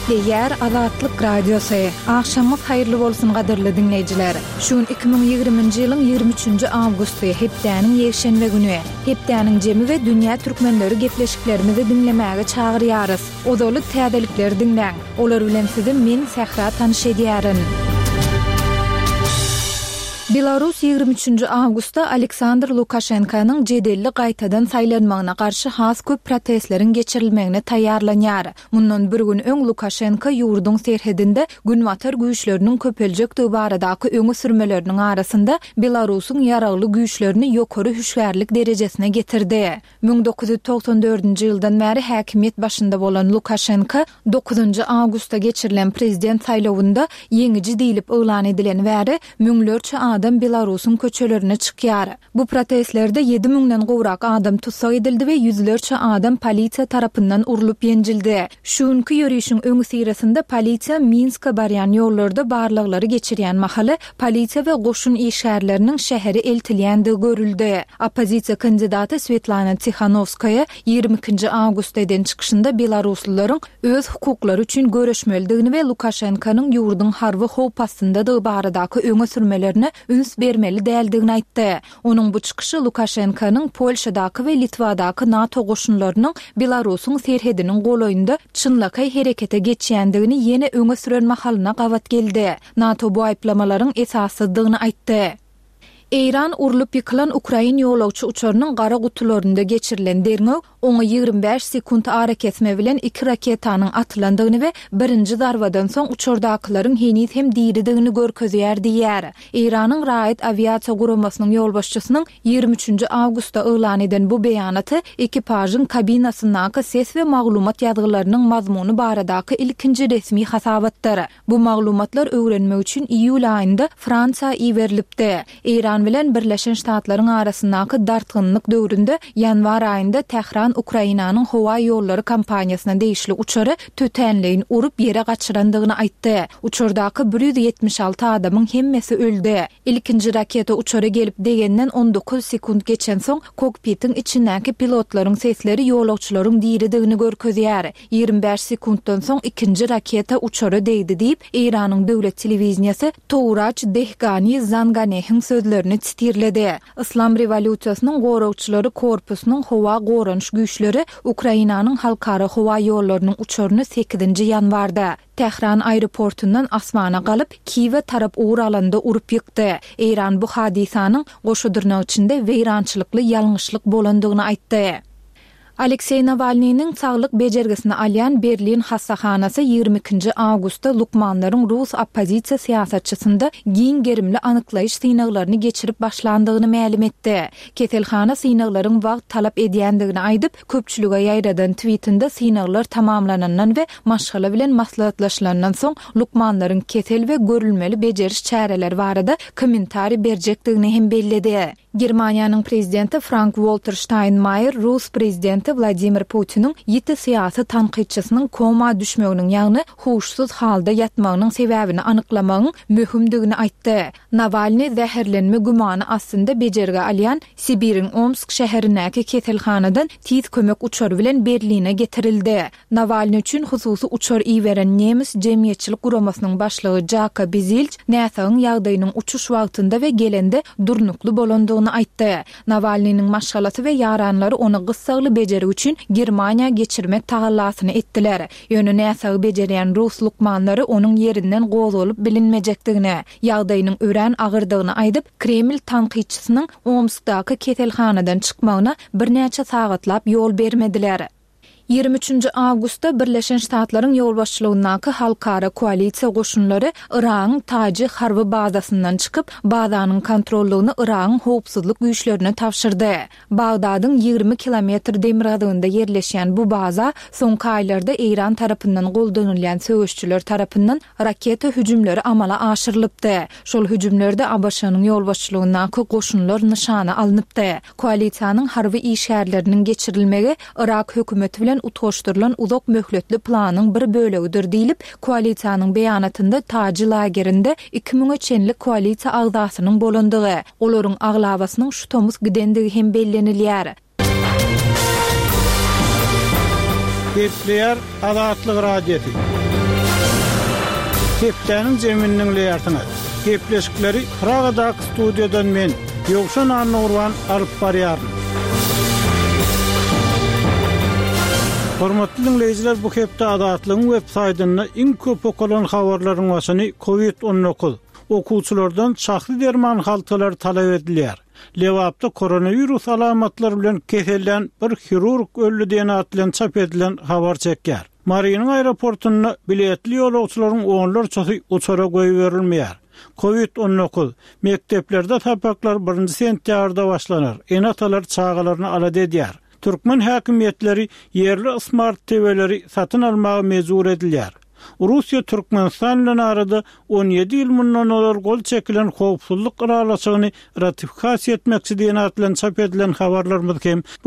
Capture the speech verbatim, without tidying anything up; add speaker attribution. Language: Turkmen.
Speaker 1: Gepleýär Azatlyk Radiosy. Agşamyňyz haýyrly bolsun gadyrly diňleýjiler. Şu gün iki müň ýigriminji ýylyň ýigrimi üçünji awgusty, hepdäniň ýekşenbe güni. Hepdäniň jemi we dünýä türkmenleri gepleşiklerimizi diňlemäge çagyrýarys. Ozaly täzelikleri diňläň. Olar bilen sizi men Sähra tanyş edýärin. Belarus ýigrimi üçünji awgustda Aleksandr Lukaşenkanyň jedelli gaýtadan saýlanmagyna garşy has köp protestleriň geçirilmegine taýýarlanýar. Mundan bir gün öň Lukaşenka ýurduň serhedinde günbatar güýçleriniň köpeljekdigi baradaky öňe sürmeleriniň arasynda Belarusyň ýaragly güýçlerini ýokary hüşgärlik derejesine getirdi. Müň dokuz ýüz togsan dördünji ýyldan bäri häkimiýet başynda bolan Lukaşenka dokuzynjy awgustda geçirilen prezident saýlawynda ýeňiji diýlip yglan edileni bäri müňlerçe adam Belarusyň köçelerine çykýar. Bu protestlerde ýedi müňden gowrak adam tussag edildi we ýüzlerçe adam polisiýa tarapyndan urlup ýenjildi. Şu günki ýörişiň öňüsyrasynda polisiýa Minska barýan ýollarda barlaglary geçirýän mahaly polisiýa we goşun işgärleriniň şähere eltilýändigi görüldi. Oppozisiýa kandidaty Svetlana Tihanowskaýa ýigrimi ikinji awgustda eden çykyşynda belaruslylaryň öz hukuklary üçin göreşmelidigini we Lukaşenkanyň ýurduň harby howp astyndadygy baradaky öňe sürmelerine üns bermeli däldigini aýtdy. Onuň bu çykyşy Lukaşenkanyň Polşadaky we Litwadaky NATO goşunlarynyň Belarusyň serhediniň golaýynda çynlakaý herekete geçýändigini ýene öňe süren mahalyna gabat geldi. NATO bu aýyplamalaryň esassyzdygyny aýtdy. Eýran urlup ýykylan ukrain ýolagçy uçarynyň gara gutularynda geçirilen derňew oňa ýigrimi bäş sekunt arakesme bilen iki raketanyň atylandygyny we birinji zarbadan soň uçardakylaryň heniz hem diridigini görkezýär diýýär. Eýranyň raýat awiasiýa guramasynyň ýolbaşçysynyň ýigrimi üçünji awgustda yglan eden bu beýanaty ekipažyň kabinasyndaky ses we maglumat ýazgylarynyň mazmuny baradaky ilkinji resmi hasabatdyr. Bu maglumatlar öwrenmek üçin iýul aýynda Fransiýa iberilipdi. Eýran bilen Birleşen Ştatlaryň arasyndaky dartgynlyk döwründe ýanwar aýynda Tähran Ukrainanyň howa ýollary kompaniýasyna degişli uçary tötänleýin urup ýere gaçyrandygyny aýtdy. Uçardaky bir ýüz ýetmiş alty adamyň hemmesi öldi. Ilkinji raketa uçara gelip degenden on dokuz sekunt geçensoň kokpitiň içindäki pilotlaryň sesleri ýolagçylaryň diridigini görkezýär. Ýigrimi bäş sekuntdan soň ikinji raketa uçara degdi diýip, Eýranyň döwlet telewideniýesi Touraç Dehgani Zanganehiň sözlerini titirledi. Islam rewolýusiýasynyň goragçylary korpusynyň howa goranyş güýçleri Ukrainanyň halkara howa ýollarynyň uçaryny sekizinji ýanwarda Tähran aeroportundan asmana galyp, Kiýewe tarap ugur alanda urup ýykdy. Eýran bu hadysanyň goşa dyrnak içinde weýrançylykly ýalňyşlyk bolandygyny aýtdy. Alekseý Nawalnynyň saglyk bejergisini alýan Berlin hassahanasy ýigrimi ikinji awgustda lukmanlaryň rus oppozisiýa syýasatçysynda giň gerimli anyklaýyş synaglaryny geçirip başlandygyny mälim etdi. Keselhana synaglaryň wagt talap edýändigini aýdyp, köpçülige ýaýradan tweetinde synaglar tamamlanandan we maşgala bilen maslahatlaşylandan soň lukmanlaryň kesel we görülmeli bejeriş çäreleri barada kommentariý berjekdigini hem belledi. Germaniýanyň prezidenti Frank-Walter Steinmeier Rus prezidenti Wladimir Putiniň ýiti syýasy tankytçysynyň koma düşmeginiň, ýagny huşsuz halda ýatmagynyň sebäbini anyklamagyň möhümdigini aýtdy. Nawalny zäherlenme gümany astynda bejergi alýan Sibiriň Omsk şäherindäki keselhanadan tiz kömek uçary bilen Berline getirildi. Nawalny üçin hususy uçar iberen nemes jemgyýetçilik guramasynyň başlygy Jaka Bizilç näsagyň ýagdaýynyň uçuş wagtynda we gelende durnukly bolandygyny aýtdy. Nawalnynyň maşgalasy we ýaranlary ony gyssagly bejergi üçin Germaniýa geçirmek tagallasyny etdiler. Ýöne näsagy bejerýän rus lukmanlary onuň ýerinden gozgalyp bilinmejekdigini, ýagdaýynyň örän agyrdygyny aýdyp, Kreml tankytçysynyň Omskdaky keselhanadan çykmagyna birnäçe sagatlap ýol bermediler. Ýigrimi üçünji awgustda Birleşen Ştatlaryň ýolbaşçylygyndaky halkara koalisiýa goşunlary Yragyň Taji harby bazasyndan çykyp, bazanyň kontrollygyny Yragyň howpsuzlyk güýçlerine tabşyrdy. Bagdadyň ýigrimi kilometr demirgazygynda ýerleşýän bu baza soňky aýlarda Eýran tarapyndan goldanylýan söweşçiler tarapyndan raketa hüjümleri amala aşyrylypdy. Şol hüjümlerde A B Ş-nyň ýolbaşçylygyndaky goşunlar nyşana alnypdy. Koalisiýanyň harby işgärleriniň geçirilmegi Yrak hökümeti bilen utgaşdyrylan uzak möhletli planyň bir bölegidir diýlip, koalisiýanyň beýanatynda Taji lagerinde iki müňe çenli koalisiýa agzasynyň bolandygy, olaryň aglabasynyň şu tomus gidendigi hem bellenilýär.
Speaker 2: Gepleýär Azatlyk Radiosy. Hepdäniň jemini diňleýärsiňiz. Gepleşikleri Pragadaky studiýadan men, Ýowşan Annagurban alyp barýaryn. Hormatly diňleýjiler, bu hepde Azatlygyň web saýtynda iň köp okalan habarlaryň başyny Covid on dokuz, okuwçylardan şahsy derman haltalary talap edilýär. Lebapda koronawirus alamatlary bilen kesellän bir hirurg öldi diýen at bilen çap edilen habar çekýär. Marynyň aeroportunda biletli ýolagçylaryň onlarçasy uçara goýberilmeýär. Covid on dokuz, mekdeplerde sapaklar birinji sentýabrda başlanar. Ene-atalar çagalaryny alada edýär. Türkmen häkimiýetleri ýerli smart T V-leri satyn almaga mejbur edilýär. Russiýa Türkmenistan bilen arada on ýedi ýyl mundan ozal gol çekilen howpsuzlyk ylalaşygyny ratifikasiýa etmekçi diýen at bilen çap edilen habarlarymyz hem